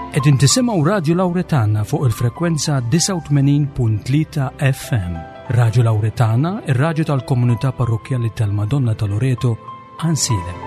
Qegħdin tisimgħu Radju Lawretana fuq il-frekwenza 89.3 FM. Radju Lawretana, ir-radju tal-komunità parrokkjali tal-Madonna ta' Loreto, Ansilem.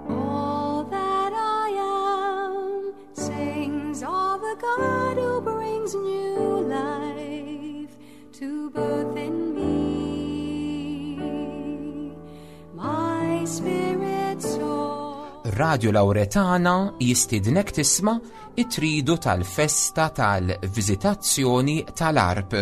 All that I am sings of the God who brings new life to birth in me. My spirit soars. Radio Lauretana jistidnek tisma' it-tridu tal-festa tal-viżitazzjoni tal-Arp.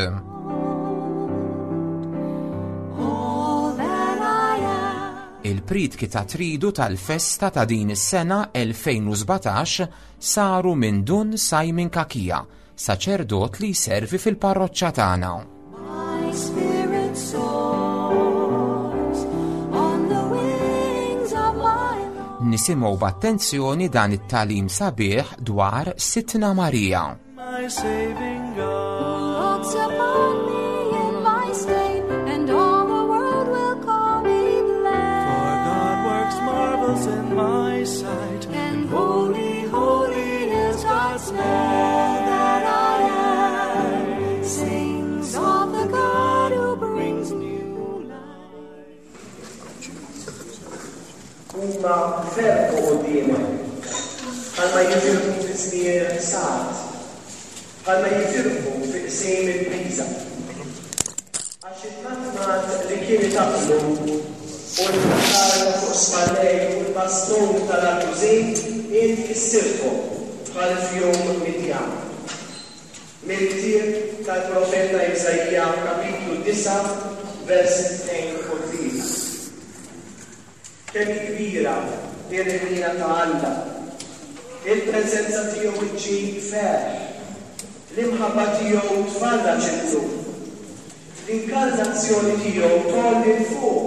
All that I am. Il-pritki ta' tridu tal-festa ta' din is-sena 2017 saru minn Dun Simon Kakija, saċerdot li jservi fil-parroċċa tagħna. My spirit soars on the wings of my love. Nisimgħu b'attenzjoni dan it-talim sabiħ dwar Sitna Marija. My saving God. Looks upon me in my state, and all the world will call me For blessed. God works marvels in my sight, And holy, holy is God's name. All that I am sings of the God who brings new life. Huma ferħu quddiemek, bħalma jifirħu fi żmien il-ħsad, bħalma jifirħu fi qsim il-biża. Għax il-matmat li kien itaqlu u l-qatar fuq spallejh u l-bastun tal-għaġużin int kissirthom bħal f'jum Midjan. Mill-ktieb tal-profeta Iżaija kapitlu 9 versi 2 u 3. Kemm hi kbira l-ħniena ta' Alla! Il-preżenza tiegħu ġġib ferħ. L-imħabba tiegħu tfarraġ il-qlub. L-inkarnazzjoni tiegħu tgħolli 'l fuq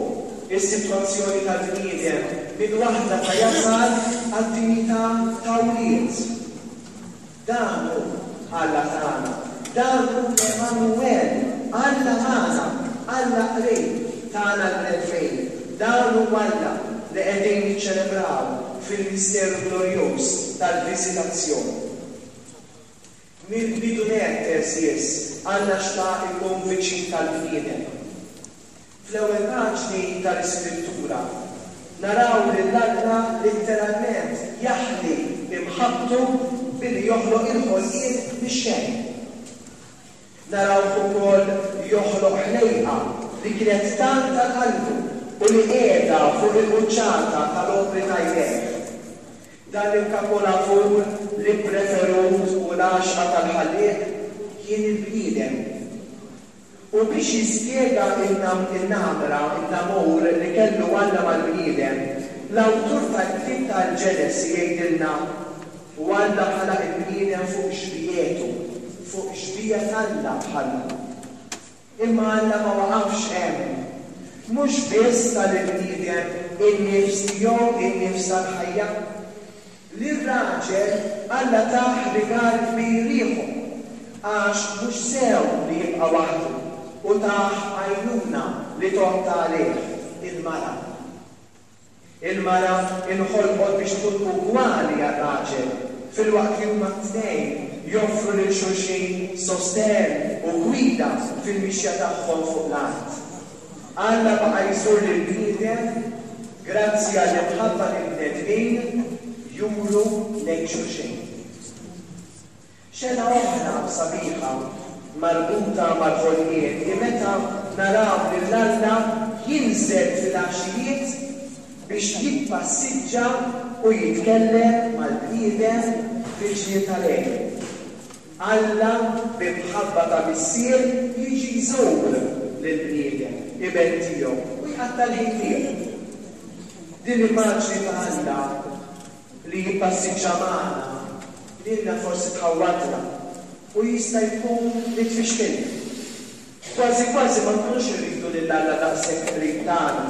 is-sitwazzjoni tal-bniedem minn waħda ta' jasar għad-dinjità ta' wlied. Dan hu Alla tagħna. Dan hu l-Emmanuel, Alla magħna, Alla qrib tagħna l-bnedmin. Dan hu Alla li qegħdin niċċelebraw fil-misteru glorjuż tal-Viżitazzjoni. Mill-bidu nett, għeżież, Alla xtaq ikun viċin tal-bniedem. Fl-ewwel paġni tal-Iskrittura, naraw lil Alla litteralment jaħli imħabbtu billi joħloq il-ħolqien mix-xejn. Narawh ukoll joħloq ħlejqa li kienet tant għal qalbu u li qiegħda fuq il-quċċata tal-opri ta' jdejh. Dan il-kapolavur li ppreferut u l-għaxqa tal-Ħallieq kien il-bniedem. U biex jispjega n-namra, in-namur li kellu Alla mal-bniedem, l-awtur tal-ktieb tal-Ġenesi jgħidilna, U Alla ħalaq il-bniedem fuq xbiehetu, fuq xbieha t'Alla ħalqu. Imma Alla ma waqafx hemm. Mhux biss ta lill-bniedem in-nifs tiegħu, in-nifs tal-ħajja. Lir-raġel Alla tah rigal kbir ieħor, għax mhux sew li jibqa' waħdu, u tah għajnuna li tgħodd għalih, il-mara. Il-mara nħolqot biex tkun ugwali għar-raġel, filwaqt li huma t-tnejn joffru lil xulxin sostenn u gwida fil-mixja tagħhom fuq l-art. Alla baqa' jżur lill-bniedem grazzi għall-imħabba li l-bnedmin juru lejn xulxin. Xena oħra sabiħa marbuta mal-ħolqien hi meta naraw lil Alla jinżel fil-għaxijiet biex jippassiġġa u jitkellem mal-bniedem fil-ġnien tal-Għeden. Alla bi mħabba ta' missier jiġi jżur lill-bniedem, iben tiegħu, u jqatta' l-ħin miegħu. Din l-immaġni ta' Alla li jippassiġġa magħna lilna forsi tħawwadna u jista' jkun li tfixkilna. Kważi kważi ma nkunux irridu lil Alla daqshekk qrib tagħna,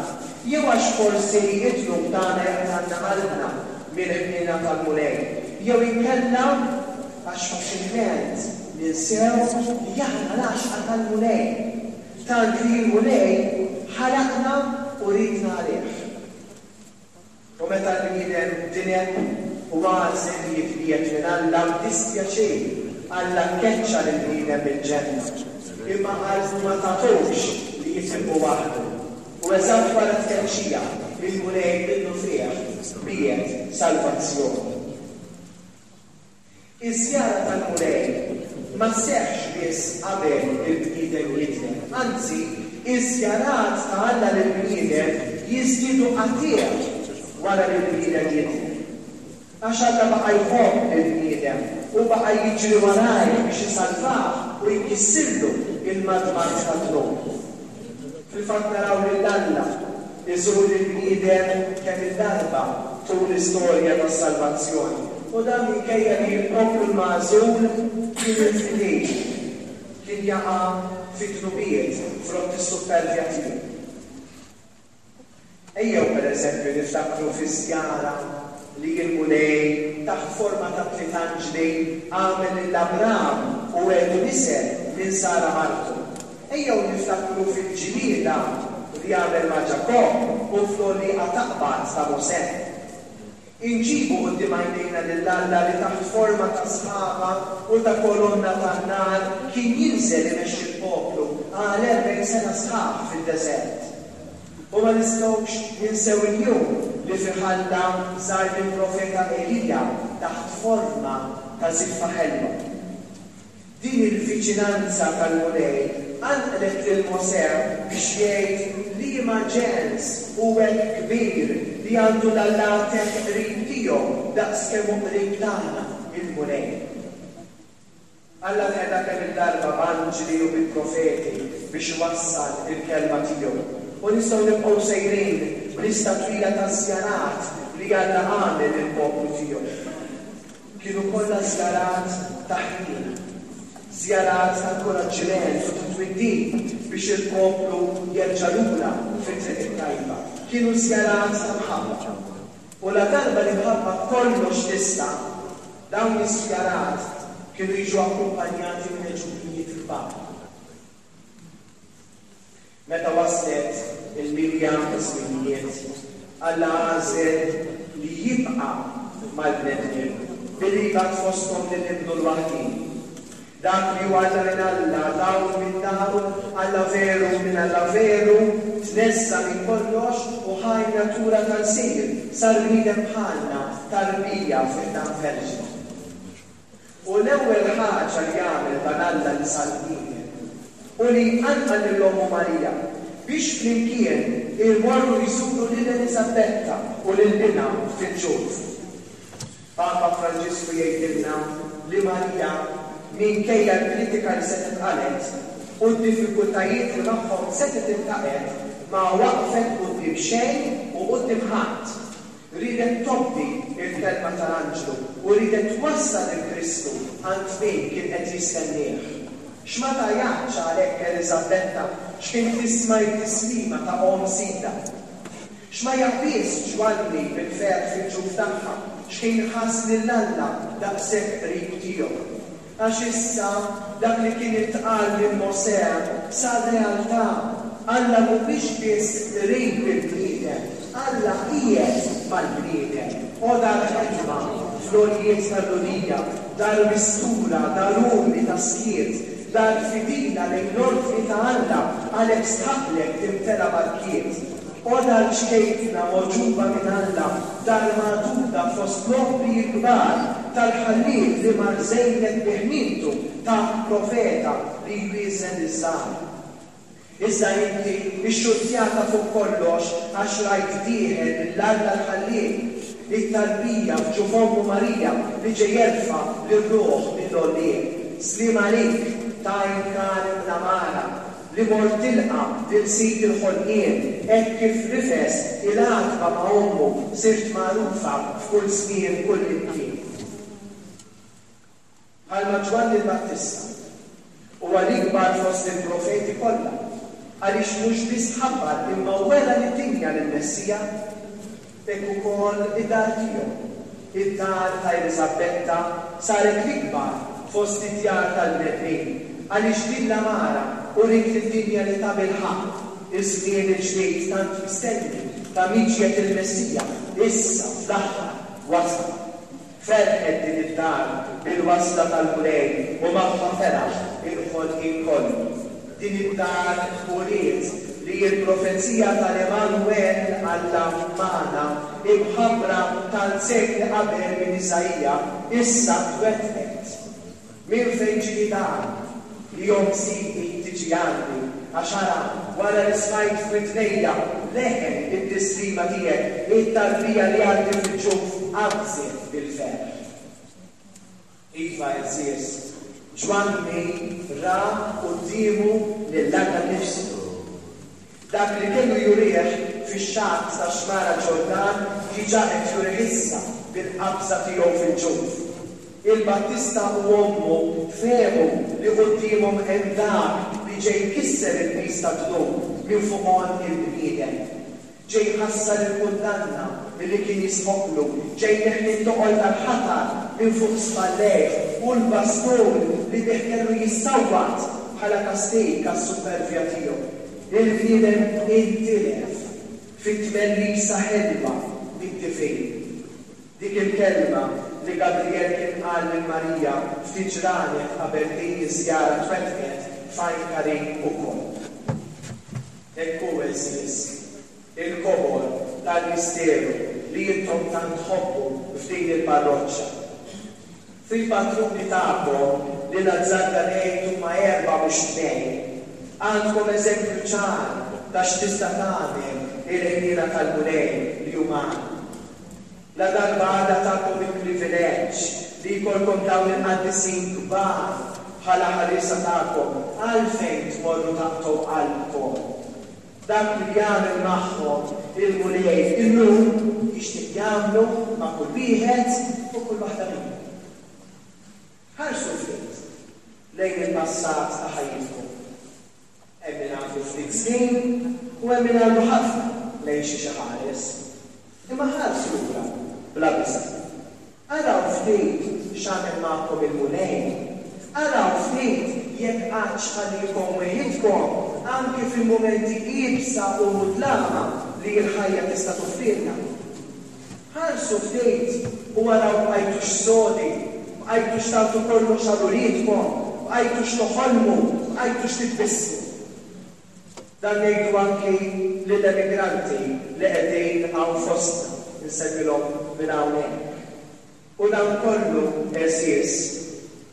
jew għax forsi d-dnub tagħna jaqtgħalna qalbna mill-ħniena tal-Mulej, jew inkella għax faċilment ninsew li aħna l-għaxqa tal-Mulej, tant li l-Mulej ħalaqna u riedna għalih. U meta l-bniedem dineb u għażel li jitbiegħed minn Alla, b'dispjaċir, Alla keċċa lill-bniedem mill-ġenna. Imma qalbu ma tagħtux li jitilqu waħdu. U eżatt wara t-tkeċċija, il-Mulej minnufih biegħet salvazzjoni. Iż-żjara tal-Mulej ma sseħħx biss qabel il-bniedem jidneb, anzi, iż-żjarat ta' Alla lill-bniedem jiżdiedu qatigħ wara li l-bniedem jidneb. Għax Alla baqa' jħobb lill-bniedem u baqa' jiġri warajh biex isalvah u jkissirlu l-madmad tad-dnub. Fil-fatt naraw lil Alla jżur lill-bniedem kemm-il darba tul l-istorja tas-salvazzjoni, u dan minkejja li l-poplu l-magħżul kien infidil, kien jaqa' fi dnubiet frott is-suppervja tiegħu. Ejjew, per eżempju, niftakru fiż-żjara li l-Mulej, taħt forma ta' tliet anġli, għamel lil Abram u wegħdu nisel minn Sara martu. Ejjew niftakru fil-ġlieda li għamel ma' Ġakobb u fl-għollieqa taqbad ta' Mosè. Inġibu quddiem għajnejna lil Alla li taħt forma ta' sħaba u ta' kolonna tan-nar kien jinżel imexxi l-poplu għal 40 sena sħaħ fid-deżert. U ma nistgħux ninsew il-jum li fih Alla żar lill-profeta Elija taħt forma ta' żiffa ħelwa. Din il-viċinanza tal-Mulej qanqlet lil Mosè biex jgħid, Liema ġens hu hekk kbir li għandu l-allat hekk qrib tiegħu daqs kemm hu qrib tagħna, il-Mulej? Alla nqeda kemm-il darba b'anġli u bi profeti biex iwassal il-kelma tiegħu. U nistgħu nibqgħu sejrin b'lista twila ta' żjarat li Alla għamel lill-poplu tiegħu. Kienu kollha żjarat ta' ħniena, żjarat ta' inkuraġġiment u ta' twiddib biex il-poplu jerġa' lura fit-triq it-tajba. Kienu żjarat ta' mħabba. U ladarba l-imħabba kollox tista', dawn iż-żjarat kienu jiġu akkumpanjati minn għeġubijiet kbar. Meta waslet il-milja taż-żminijiet, Alla għażel li jibqa' mal-bnedmin, billi jibgħat fosthom lil Ibnu l-waħdieni. Dak li hu Alla minn Alla, dawl minn dawl, Alla veru minn Alla veru, tneżża' minn kollox u ħa n-natura ta' lsir, sar bniedem bħalna, tarbija fi ħdan verġni. U l-ewwel ħaġa li għamel dan Alla li sar bniedem, hu li jqanqal lil ommu Marija biex flimkien imorru jżuru lil Eliżabetta u lil binha fil-ġuf. Papa Franġisku jgħidilna li Marija, minkejja l-kritika li setgħet qalgħet u d-diffikultajiet li magħhom setgħet iltaqgħet, ma waqfet quddiem xejn u quddiem ħadd. Riedet tobdi l-kelma tal-anġlu u riedet twassal lil Kristu għand min kien qed jistennieh. X'ma tgħajjatx għalhekk Eliżabetta x'kien tisma' t-tislima ta' omm sidha? X'ma jaqbiżx Ġwanni bil-ferħ fil-ġuf tagħha x'kien ħass lil Alla daqshekk qrib tiegħu? Għax issa dak li kien intqal minn Mosè sar realtà, Alla mhuwiex biss qrib il-bniedem, Alla qiegħed mal-bniedem. O dar ħelwa, fl-għoljiet tal-Lulija, dar mistura, dar umli ta' skiet, dar fidila lejn l-ordni ta' Alla, għalhekk stħaqqlek timtela barkiet. O dar ċkejkna mogħġuba minn Alla, dar magħduda fost l-opri l-kbar tal-Ħallieq li mar żejnek bi ħnientu tak profeta li jwieżen liż-żgħar. Iżda inti xxurtjata fuq kollox għax rajt dieħel lil Alla l-Ħallieq, it-tarbija f'ġuf ommu Marija li ġej jerfa' lir-ruħ mill-għollieq. Sliem għalik, t'għajn kalm l-għamara, Li mort tilqa' lil Sid il-ħolqien, hekk kif rifes il-għatba ma' ommu sirt magħrufa f'kull żmien kullimkien. Bħalma Ġwanni l-Battista. Huwa l-ikbar fost il-profeti kollha, għaliex mhux biss ħabbar imma wera lid-dinja lill-Messija. Hekk ukoll id-dar tiegħu, id-dar ta' Eliżabbetta, saret l-ikbar fost id-djar tal-bnedmin, għaliex din l-għamara uriet lid-dinja li tabilħaqq iż-żmien il-ġdid tant mistenni ta' miġjet il-Messija issa fl-aħħar wasal. Ferħet din id-dar bil-wasla tal-Mulej u magħha feraħ il-ħolqien kollu. Din id-dar uriet li l-profezija tal-Emmanuel, Alla magħna, imħabbra tant sekli qabel minn Iżaija, issa twettqet. Minn fejn ġieni dan, li omm Sidi tiġi għandi? Għax ara, wara li smajt f'widnejja leħen it-tislima tiegħek, it-tarbija li għandi fil-ġuf qabżet bil-ferħ. Iva, għeżież, Ġwanni ra quddiemu lil Alla nnifsu. Dak li kellu jurih fix-xatt tax-Xmara Ġordan diġà qed jurih issa bil-qabża tiegħu fil-ġuf. Il-Battista u ommu fehmu li quddiemhom hemm dak li ġej jkisser il-piż tad-dnub minn fuq għonq il-bniedem. Ġej jħassar il-kundanna li kien jistħoqqlu, ġej jneħħi t-toqol tal-ħatar minn fuq spallejh u l-bastun li bih kellu jissawwat bħala kastig għas-suppervja tiegħu. Il-bniedem intilef fit-tmellisa ħelwa mid-divin. Dik il-kelma li Gabriel kien qal lil Marija ftit ġranet qabel din iż-żjara twettqet f'għajn Karin ukoll. Hekk hu, għeżież, il-kobor tal-misteru li intom tant tħobbu f'din il-parroċċa. Fil-patruni tagħkom, li nazzarda ngħid huma erbgħa mhux tnejn, għandkom eżempju ċar ta' x'tista' tagħmel il-ħniena tal-Mulej li hu magħna. Ladarba Alla takom il-privileġġ li jkollkom dawn il-qaddisin kbar bħala ħarriesa tagħkom, għalfejn tmorru taqtgħu qalbkom? Dak li jagħmel magħhom il-Mulej illum jixtieq jagħmlu ma' kull wieħed u kull waħda minna. Ħarsu ftit lejn il-passat ta' ħajjitkom. Hemm min għandu ftit snin u hemm min għandu ħafna lejn xiex iħares. Imma ħarsu lura bla biża'. Araw ftit x'għamel magħkom il-Mulej. Araw ftit jekk qattx ħalliekom weħidkom anki fil-mumenti iebsa u mudlama li l-ħajja tista' toffrilna. Ħarsu ftit u araw bqajtux sodi, bqajtux tagħtu kollox għal uliedkom, bqajtux toħolmu, bqajtux titbissmu. Dan ngħidu anki lill-emigranti li qegħdin hawn fostna, insellmilhom minn hawnhekk. U dan kollu, għeżież,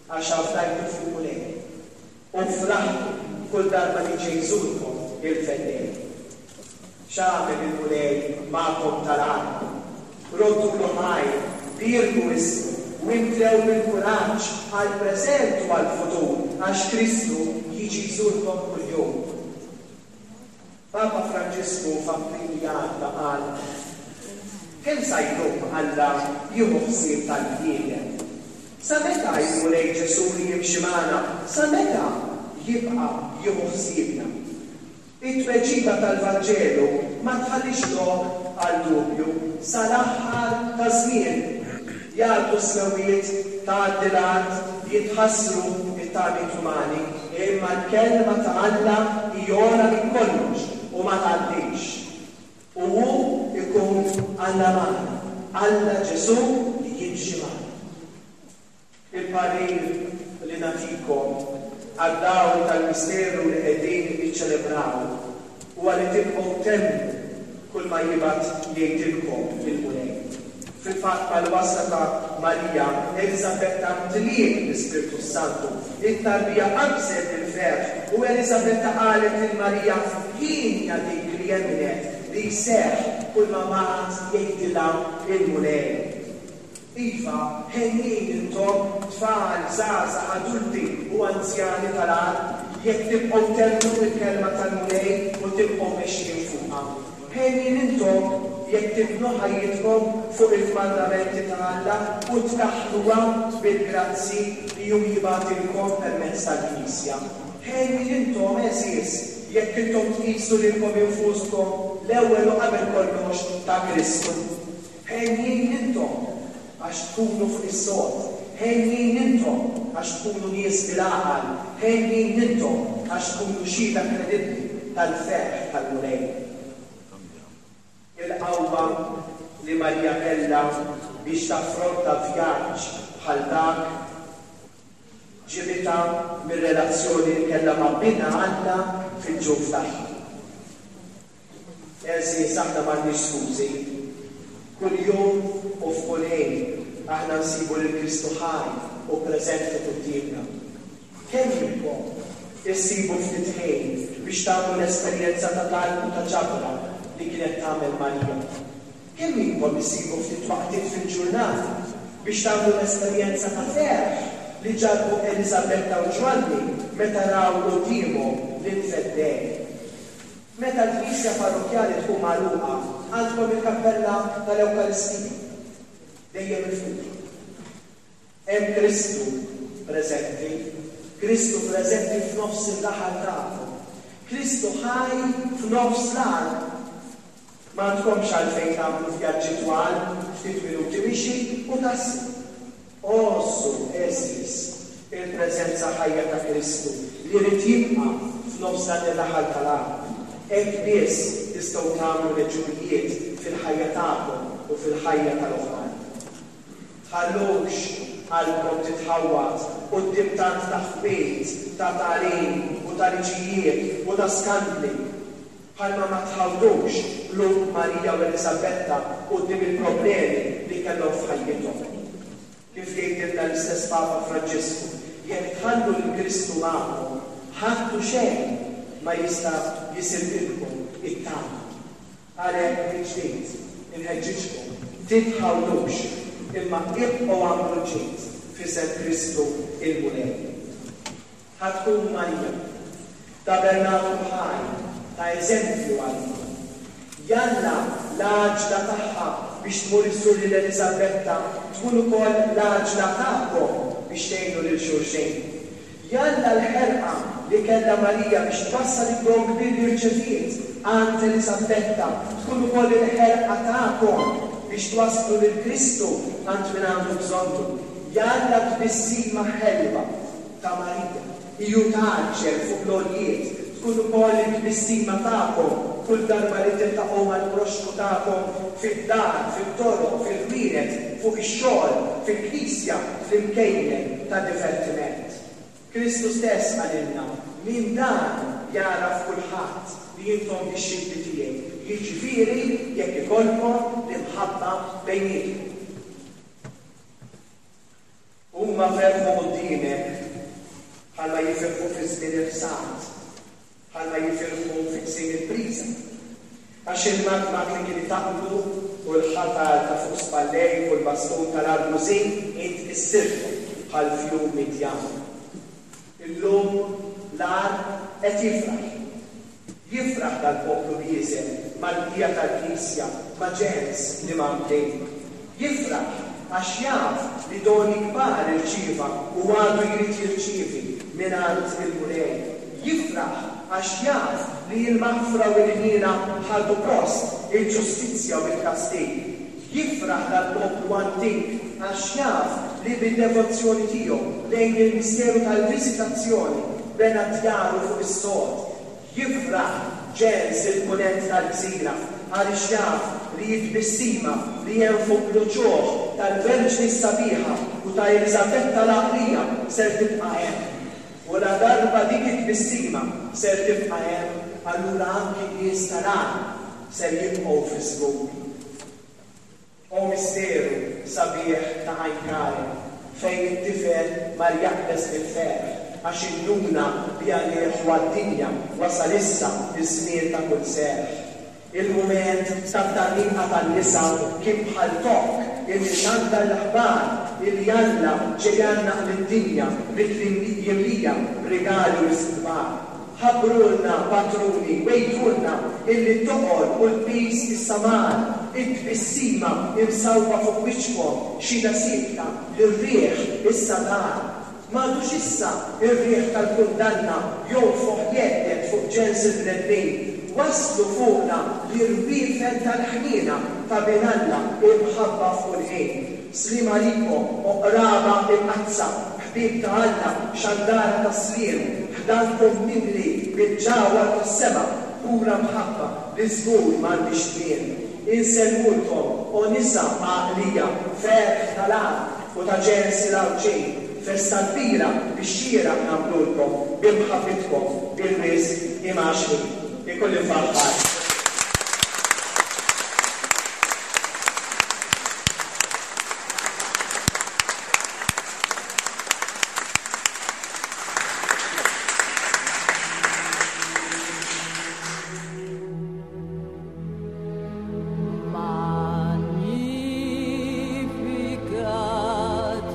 għax afdajtu fil-Mulej. U fraħtu kull darba li ġie jżurkom il-Feddej. X'għamel il-Mulej magħkom tal-għarb? Roddulu ħajr, bierku ismu, u imtlew bil-kuraġġ għall-preżent u għall-futur, għax Kristu jiġi jżurkom kuljum. Papa Franġisku f'April li għadda qal, Kemm sa jdum Alla jieħu ħsieb tal-bniedem? Sa meta il-Mulej Ġesù li jimxi magħna, sa meta jibqa' jieħu ħsiebna? It-tweġiba tal-Vanġelu ma tħallix lok għal dubju, sal-aħħar taż-żmien. Jgħaddu s-smewwiet, tgħaddi l-art, jitħassru t-tagħmiet umani, imma l-Kelma ta' Alla hi ogħla minn kollox u ma tgħaddix. U hu jkun Alla magħna, Alla Ġesù li jimxi magħna. Il-parir li nagħtikom għad-dawl tal-misteru li qegħdin niċċelebraw huwa li tibqgħu temmnu kull ma jibgħat jgħidilkom il-Mulej. Fil-fatt mal-wasla ta' Marija, Eliżabetta mtliet bl-Ispirtu s-Santu, it-tarbija qabżet bil-ferħ u Eliżabetta qalet lil Marija, Hienja dik li emmnet li jseħħ kull ma bagħat jgħidilha l-Mulej. Iva, henjin intom, tfal, żgħażagħ, adulti u anzjani tal-art, jekk tibqgħu temmnu l-kelma tal-Mulej u tibqgħu mexjin fuqha. Henjin intom, jekk tibnu ħajjitkom fuq il-kmandamenti ta' Alla u tkaħħluha bil-grazzji li hu jibgħatilkom permezz tal-Knisja. Henjin intom, għeżież, jekk intom tqisu lilkom infuskom l-ewwel u qabel kollox ta' Kristu. Henjin intom, għax tkunu fuq is-sod. Henjin intom, għax tkunu nies bil-għaqal. Henjin intom, għax tkunu xhieda kredibbli tal-ferħ tal-Mulej. Il-qawwa li Marija kellha biex taffronta vjaġġ bħal dak ġibitha mir-relazzjoni li kellha ma' Binha Alla fil-ġuf tagħha. Għeżież, aħna m'għandniex skużi. Kuljum u f'kull ħin aħna nsibu lil Kristu ħaj u preżenti quddiemna. Kemm minnkom issibu ftit ħin biex tagħmlu l-esperjenza ta' talb u ta' ġabra li kienet tagħmel Marija? Kemm minnkom issibu ftit waqtiet fil-ġurnata biex tagħmlu l-esperjenza ta' ferħ li ġarrbu Eliżabetta u Ġwanni meta raw quddiemhom lill-Feddej? Meta l-knisja parrokkjali tkun magħluqa, għandkom il-kappella tal-Ewkaristija dejjem miftuħa. Hemm Kristu preżenti, Kristu preżenti f'nofs ir-raħal tagħkom, Kristu ħaj f'nofs l-għalqa. M'għandkomx għalfejn tagħmlu vjaġġi twal, ftit minuti mixi u taslu. Għożżu, għeżież, il-preżenza ħajja ta' Kristu li jrid jibqa' f'nofs dan ir-raħal tal-għalqa. Hekk biss tistgħu tagħmlu l-għeġubijiet fil-ħajja tagħkom u fil-ħajja tal-oħrajn. Tħallux qalbkom titħawwad quddiem tant taħwid ta' tagħlim u ta' liġijiet u ta' skandli, bħalma ma tħawdux qlub Marija u Eliżabetta quddiem il-problemi li kellhom f'ħajjithom. Kif jgħidilna l-istess Papa Franġisku, jekk tħallu lil Kristu magħkom, ħadd u xejn ma jista' jisirqilkom it-tama. Għalhekk mill-ġdid inħeġġiġkom, titħawdux, imma ibqgħu agħmlu l-ġid f'isem Kristu l-Mulej. Ħa tkun Marija, tabernaklu ħaj ta' eżempju għalina. Jalla l-għaġla tagħha biex tmur iżżur lil Eliżabetta tkun ukoll l-għaġla tagħkom biex tgħinu lil xulxin. Jalla l-ħerqa li kellha Marija biex twassal id-don kbir li rċeviet għand Eliżabbetta tkun ukoll il-ħerqa tagħkom biex twasslu lil Kristu għand min għandu bżonnu. Jalla t-tbissima ħelwa ta' Marija, hi u tgħaġġel fuq l-għoljiet, tkun ukoll it-tbissima tagħkom kull darba li tiltaqgħu mal-proxxmu tagħkom fid-dar, fit-toroq, fil-ħwienet, fuq ix-xogħol, fil-knisja, fl-imkejjen ta' divertiment. Kristu stess qalilna, Minn dan jagħraf kulħadd li intom dixxipli tiegħi, jiġifieri jekk ikollkom l-imħabba bejnietkom. Huma ferħu quddiemek bħalma jifirħu fi żmien il-ħsad, bħalma jifirħu fi qsim il-priża. Għax il-madmad li kien itaqqlu u l-ħatar ta' fuq spallejk u l-bastun tal-argużin int kissirthom bħal fjum Midjan. Illum l-għar qed jifraħ. Jifraħ dal-poplu bieżel mal-bqija tal-Knisja ma' ġens li mgħammdin. Jifraħ għax jaf li doni kbar irċieva u għadu jrid jirċievi mingħand il-Mulej. Jifraħ għax jaf li l-maħfra u l-ħniena ħadu post il-ġustizzja u l-kastig. Jifraħ dal-poplu antik għax jaf li bid-devozzjoni tiegħu lejn il-misteru tal-Viżitazzjoni bena djaru fuq is-sod. Jifraħ ġens il-Punent tal-gżira għaliex jaf li t-tbissima li hemm fuq l-uċuħ tal-Verġni s-Sabiħa u ta' Eliżabetta l-Għaqlija ser tibqa' hemm. U ladarba dik it-tbissima ser tibqa' hemm, allura anki n-nies tal-għarb ser jibqgħu fiż-żgur. O misteru sabiħ ta' Għajn Karem, fejn it-tifel mar jaqbeż bil-ferħ għax induna li għalih u għad-dinja wasal issa ż-żmien ta' kull serħ. Il-mument tat-tgħanniqa tan-nisa kien bħal tokk illi xandar l-aħbar illi Alla ġej jgħannaq lid-dinja bit jimlija b'rigali u risq kbar. Ħabbrulna, patruni, wegħidulna illi t-toqol u l-piż issa mar. It-tbissima imsawba fuq wiċċkom xhieda siekta li r-riħ issa dar. M'għadux issa r-riħ tal-kundanna jonfoħ jhedded fuq ġens il-bnedmin. Waslu fuqna l-irwiefen tal-ħniena ta' Bin Alla imħabba f'kull ħin. Sliem għalikom, o qraba imqaddsa, ħbieb ta' Alla, xandara tas-sliem, ħdankom mimli bil-ġawhar tas-sema, pura mħabba li żgur m'għandhiex tmiem. Insellmulkom, o nisa għaqlija, ferħ tal-art u ta' ġens il-Għawdxin, festa kbira bix-xieraq nagħmlulkom bi mħabbitkom bil-wisq imgħaxxqin. Ikolli nfaħħar. Magnificat,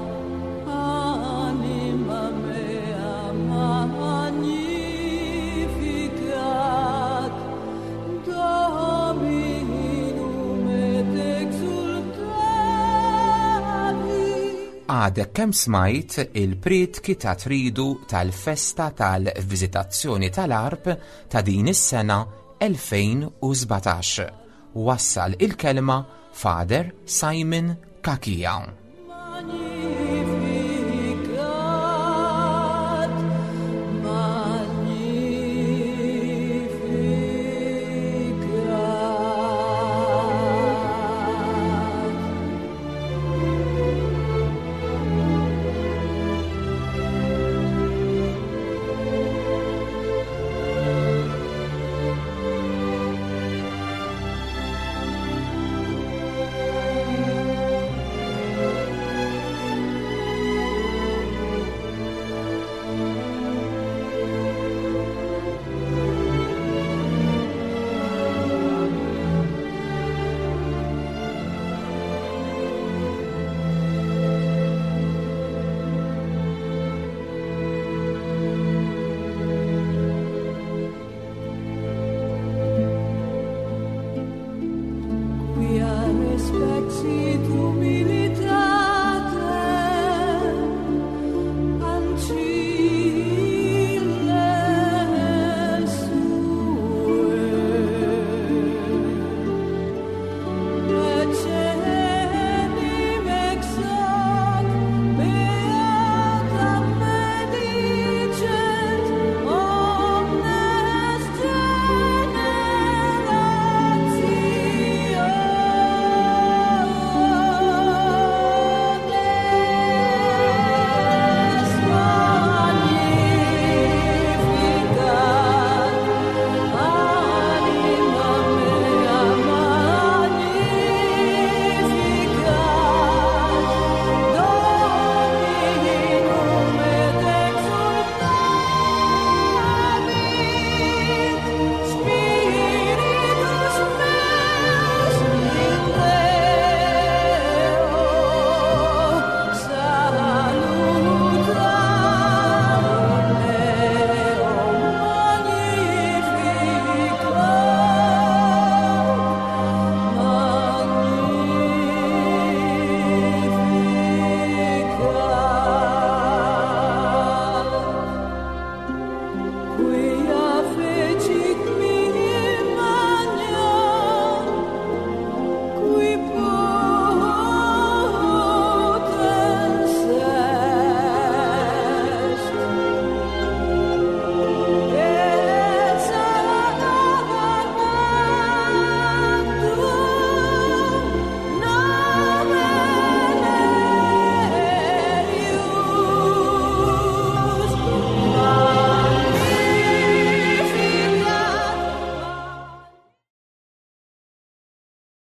anima mea, magnificat, Dominum et exultavi. Għadek kemm smajt il-prietki ta' tridu tal-festa tal-Viżitazzjoni tal-Għarb ta' din is-sena 2017. Wassal il-kelma Father Simon Cachia.